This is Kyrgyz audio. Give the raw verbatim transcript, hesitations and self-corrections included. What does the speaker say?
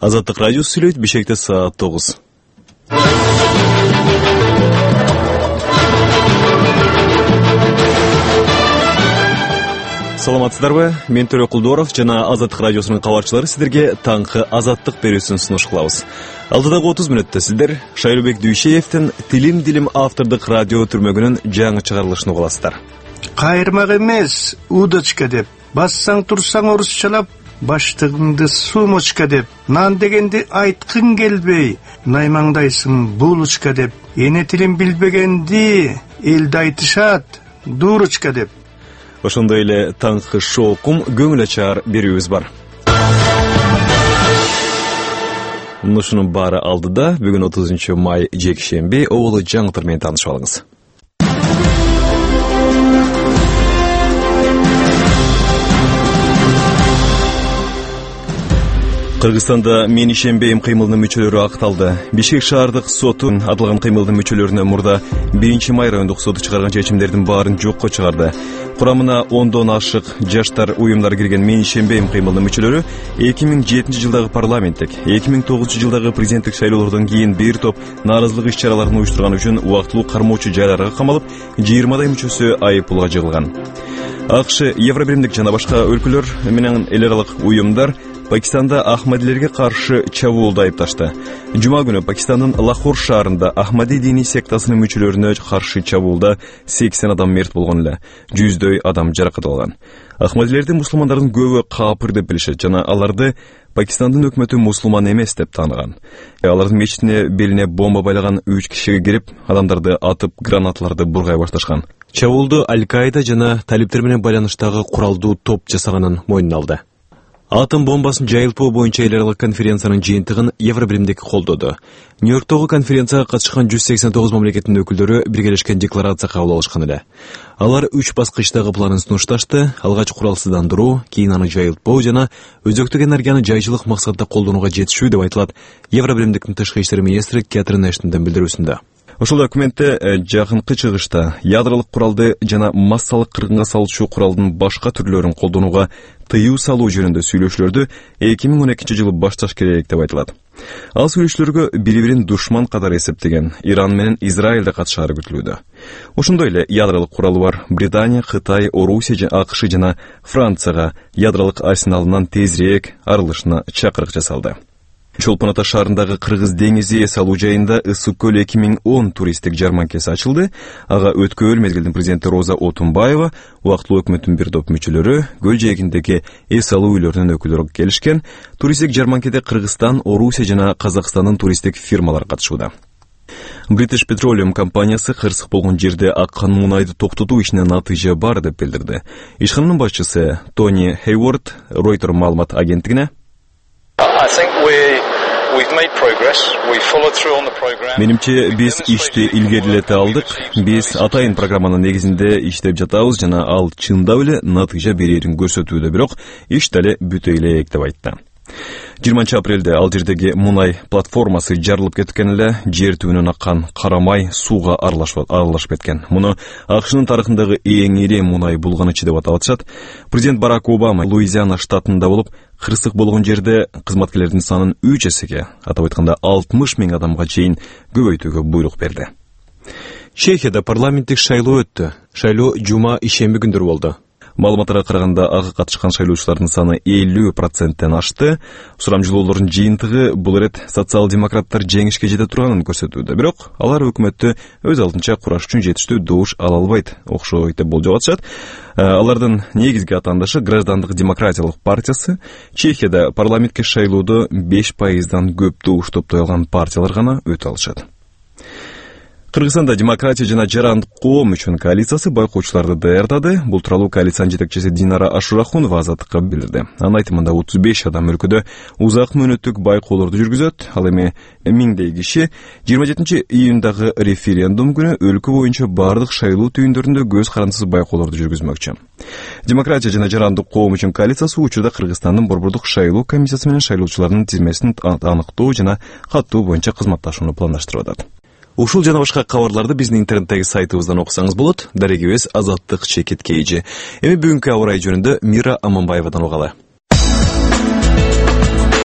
Азаттык радиосу сүйлөйт. Бишкекте саат тогуз. Саламатсыздарбы? Мен Төрө Кулдоров жана Азаттык радиосунун кабарчылары сиздерге таңкы азаттык берүүсүн сунуш кылабыз. Алдыдагы отуз мүнөттө сиздер Шайрубек Дүйшеевдин Тилим Дилим автордук радио түрмөгүнүн жаңы чыгарылышын угуласыздар. Кайырмак эмес, удочка деп, бассаң турсаң орусчалап, баштыгыңды сумочка деп, нан дегенди айткың келбей, наймаңдайсың булочка деп, эне тилин билбегенди элде айтышат, дурочка деп. Ошондой эле таңкы шоокум көңүл ачар берүүбүз бар. Мушунун баары алдыда бүгүн отузунчу май жекшемби оболу жаңылыктар менен таанышып алыңыз. Кыргызстанда мен ишенбейм кыймылынын мүчөлөрү акталды. Бишкек шаардык соту аталган кыймылдын мүчөлөрүнө мурда биринчи май райондук соту чыгарган чечимдердин баарын жокко чыгарды. Курамына ондон ашык жаштар уюмдар кирген мен ишенбейм кыймылынын мүчөлөрү эки миң жетинчи жылдагы парламенттик, эки миң тогузунчу жылдагы президенттик шайлоолордон кийин бир топ нааразылык иш-чараларын уюштурган үчүн убактылуу кармоочу жайларга камалып, жыйырмадай мүчөсү айып пулга жыгылган. АКШ, Евробиримдик жана башка өлкөлөр менен эл аралык уюмдар Пакистанда Ахмадилерге каршы чабуулду айыпташты. Жума күнү Пакистандын Лахор шаарында Ахмади диний сектасынын мүчөлөрүнө каршы чабуулда сексен адам мерт болгон эле, жүздөй адам жаракат алган. Ахмадилерди мусулмандардын көбү капыр деп билишет жана аларды Пакистандын өкмөтү мусулман эмес деп тааныган. Алардын мечитине белине бомба байлаган үч кишиге кирип, адамдарды атып, гранаталарды бургай башташкан. Чабуулду Аль-Каида жана талиптер менен байланыштагы куралдуу топ жасаганын мойнуна алды. Атом бомбасын жайылтпоо боюнча эл аралык конференциянын жыйынтыгын Евробиримдик колдоду. Нью-Йорктогу конференцияга катышкан жүз сексен тогуз мамлекеттин өкүлдөрү биргелешкен декларация кабыл алышкан эле. Алар үч баскычтагы планын сунушташты: алгач куралсыздандыруу, кийин аны жайылтпоо жана өзөктүк энергияны жайчылык максатта колдонууга жетишүү деп айтылат Евробиримдиктин тышкы иштер министри Кэтрин Эштондун билдирүүсүндө. Ошол документте жакынкы чыгышта ядролук куралды жана массалык кыргынга салуучу куралдын башка түрлөрүн колдонууга тыюу салуу жөнүндө сүйлөшүүлөрдү эки миң он экинчи жылы башташ керек деп айтылат. Ал сүйлөшүүлөргө бири-бирин душман катары эсептеген Иран менен Израиль да катышаары күтүлүүдө. Ошондой эле ядролук куралы бар Британия, Кытай, Орусия, АКШ жана Францияга ядролук арсеналынан тезирээк арылышына чакырык жасалды. Чолпон Ата шаарындагы Кыргыз деңизи эс алуу жайында Ысык көл эки миң он туристтик жарманкеси ачылды. Ага өткөл мезгилдин президенти Роза Отунбаева, убактылуу өкмөттүн бир топ мүчөлөрү, көл жээгиндеги эс алуу үйлөрүнүн өкүлдөрү келишкен. Туристтик жарманкеде Кыргызстан, Орусия жана Казакстандын туристтик фирмалары катышууда. British Petroleum компаниясы кырсык болгон жерде аккан мунайды токтотуу ишине натыйжа бар деп билдирди. Ишкананын башчысы Тони Хейворд Reuters маалымат агенттигине Менимче биз ишти илгерилете алдык. Биз атайын программанын негизинде иштеп жатабыз жана ал чындап эле натыйжа берерин көрсөтүүдө, бирок иш дале бүтө элек деп айтты. жыйырманчы апрелде ал жердеги мунай платформасы жарылып кеткен эле, жер түбүнөн аккан карамай сууга аралашып кеткен. Муну АКШнын тарыхындагы эң ири мунай булганычы деп аталат. Президент Барак Обама Луизиана штатында болуп, кырсык болгон жерде кызматкерлердин санын үч эсеге, атап айтканда алтымыш миң адамга чейин көбөйтүүгө буйрук берди. Чехияда парламенттик шайлоо өттү. Шайлоо жума ишемби күндөрү болду. Маалыматтарга караганда ага катышкан шайлоочулардын саны элүү проценттен ашты. Сурамжылоолордун жыйынтыгы бул ирет социал-демократтар жеңишке жете турганын көрсөтүүдө, бирок алар өкмөттү өз алдынча кураш үчүн жетиштүү добуш ала албайт, окшойт деп болжоп атышат. Алардын негизги атаандашы Граждандык демократиялык партиясы. Чехияда парламентке шайлоодо беш пайыздан көп добуш топтой алган партиялар гана өтө алышат. Кыргызстанда демократия жана жарандык коом үчүн коалициясы байкоочуларды даярдады. Бул тууралуу коалициянын жетекчиси Динара Ашурахунова Азаттыкка билдирди. Анын айтымында отуз беш адам өлкөдө узак мөөнөттүк байкоолорду жүргүзөт. Ал эми миңдей киши жыйырма жетинчи июндагы референдум күнү өлкө боюнча бардык шайлоо түйүндөрүндө көз карандысыз байкоолорду жүргүзмөкчү. Демократия жана жарандык коом үчүн коалициясы учурда Кыргызстандын борбордук шайлоо комиссиясы менен шайлоочулардын тизмесин аныктоо жана каттоо боюнча кызматташууну пландаштырып атат. Ушул жана башка кабарларды биздин интернеттеги сайтыбыздан окусаңыз болот. Дарегибиз Азаттык чекит кейжи. Эми бүгүнкү аба ырайы жөнүндө Мира Аманбаевадан угалы.